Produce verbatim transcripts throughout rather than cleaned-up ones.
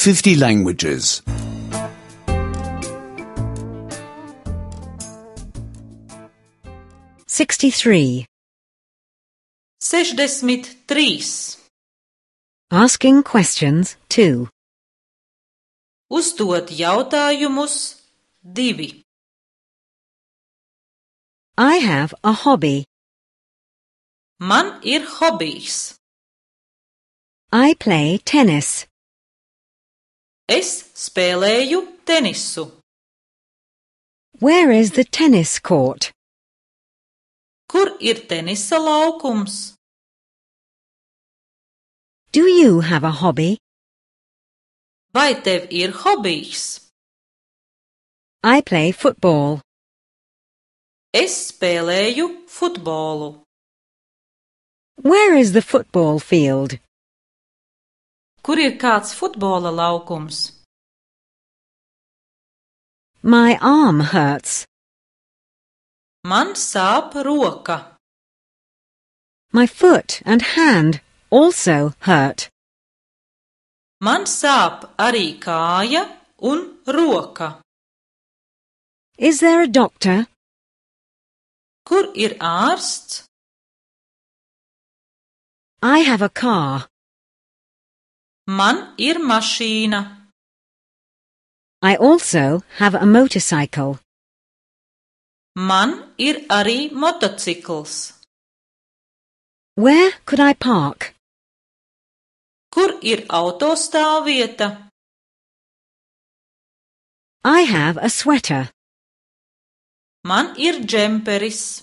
fifty languages. sixty-three. Sešdesmit trīs. Asking questions two. Uzdot jautājumus divi. I have a hobby. Man ir hobijs. I play tennis. Es spēlēju tenisu. Where is the tennis court? Kur ir tenisa laukums? Do you have a hobby? Vai tev ir hobijs? I play football. Es spēlēju futbolu. Where is the football field? Kur ir kāds futbola laukums? My arm hurts. Man sāp roka. My foot and hand also hurt. Man sāp arī kāja un roka. Is there a doctor? Kur ir ārsts? I have a car. Man ir mašīna. I also have a motorcycle. Man ir arī motocikls. Where could I park? Kur ir autostāvvieta? I have a sweater. Man ir džemperis.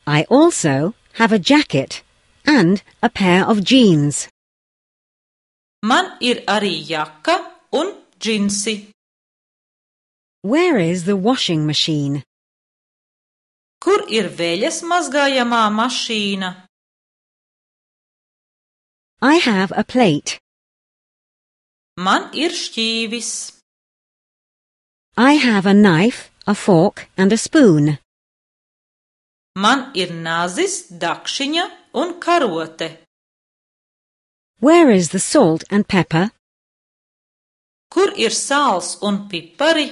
I also have a jacket and a pair of jeans. Man ir arī jaka un džinsi. Where is the washing machine? Kur ir veļas mazgājamā mašīna? I have a plate. Man ir šķīvis. I have a knife, a fork and a spoon. Man ir nazis, dakšiņa un karote. Where is the salt and pepper? Kur ir sāls un pipari?